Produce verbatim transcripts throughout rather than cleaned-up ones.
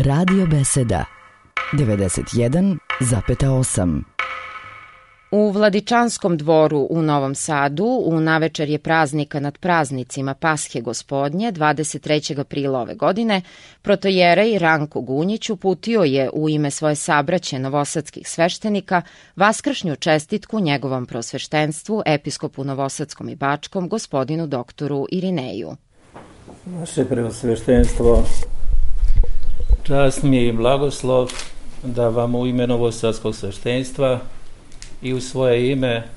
Radio Beseda devedeset jedan zarez osam. U Vladičanskom dvoru u Novom Sadu u navečerje praznika nad praznicima Pashe Gospodnje dvadeset trećeg aprila ove godine protojerej Ranko Gunjić uputio je u ime svoje sabraće novosadskih sveštenika vaskršnju čestitku njegovom prosveštenstvu, episkopu Novosadskom i Bačkom, gospodinu doktoru Irineju. Vaše preosveštenstvo, čast mi je i blagoslov da vam u ime Novosadskog sveštenstva i u svoje ime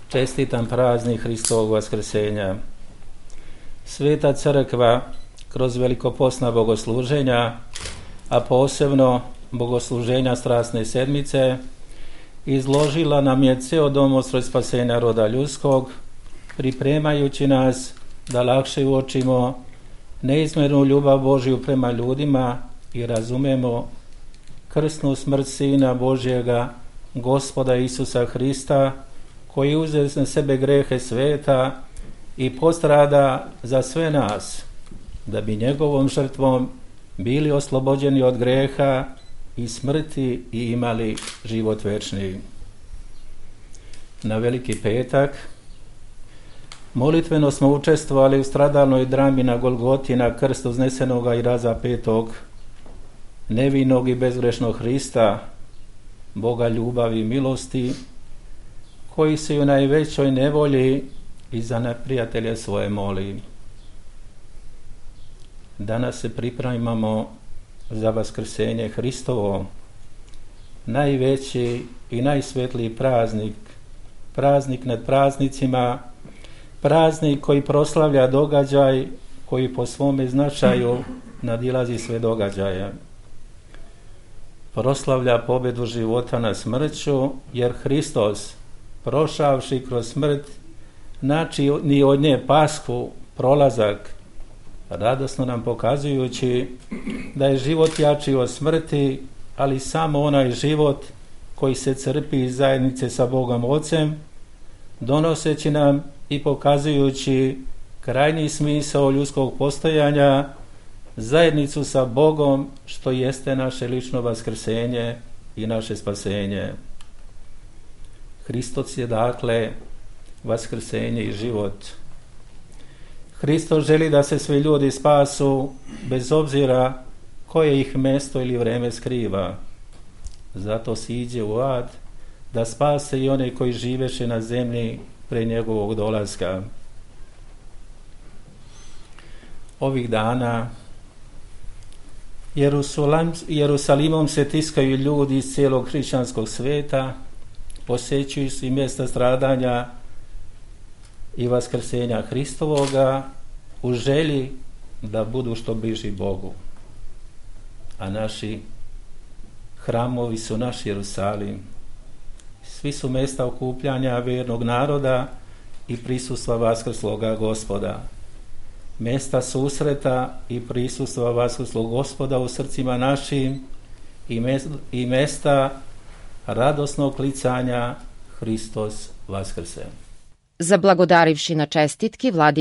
čestitam praznik Hristovog vaskrsenja. Sveta crkva kroz velikopostna bogosluženja, a posebno bogosluženja Strasne sedmice, izložila nam je ceo domostroj spasenja roda ljudskog, pripremajući nas da lakše uočimo neizmernu ljubav Božju prema ljudima i razumemo krsnu smrt Sina Božjega, Gospoda Isusa Hrista, koji uzeo na sebe grehe sveta i postrada za sve nas, da bi njegovom žrtvom bili oslobođeni od greha i smrti i imali život večni. Na Veliki petak molitveno smo učestvovali u stradalnoj drami na Golgoti na krstu uznesenoga i razapetog nevinog i bezgrešnog Hrista, Boga ljubavi i milosti, koji se u najvećoj nevolji i za neprijatelje svoje moli. Danas se pripremamo za vaskrsenje Hristovo, najveći i najsvetliji praznik, praznik nad praznicima, praznik koji proslavlja događaj koji po svome značaju nadilazi sve događaje. Proslavlja pobedu života nad smrću, jer Hristos, prošavši kroz smrt, znači ni od nje pasku, prolazak, radosno nam pokazujući da je život jači od smrti, ali samo onaj život koji se crpi iz zajednice sa Bogom Ocem, donoseći nam i pokazujući krajnji smisao ljudskog postojanja, zajednicu sa Bogom, što jeste naše lično vaskrsenje i naše spasenje. Hristos je dakle vaskrsenje i život. Hristos želi da se svi ljudi spasu bez obzira koje ih mesto ili vreme skriva. Zato siđe u ad da spase i one koji živeše na zemlji pre njegovog dolaska. Ovih dana Jerusalim, Jerusalimom se tiskaju ljudi iz cijelog hrišćanskog sveta, posjećuju se i mjesta stradanja i vaskrsenja Hristovoga u želji da budu što bliži Bogu. A naši hramovi su naš Jerusalim. Svi su mjesta okupljanja vjernog naroda i prisustva vaskrsloga Gospoda. Mjesta susreta i prisustva vaskrslog Gospoda u srcima našim i mjesta radosnog klicanja Hristos vaskrse. Zablagodarivši na čestitki, Vladi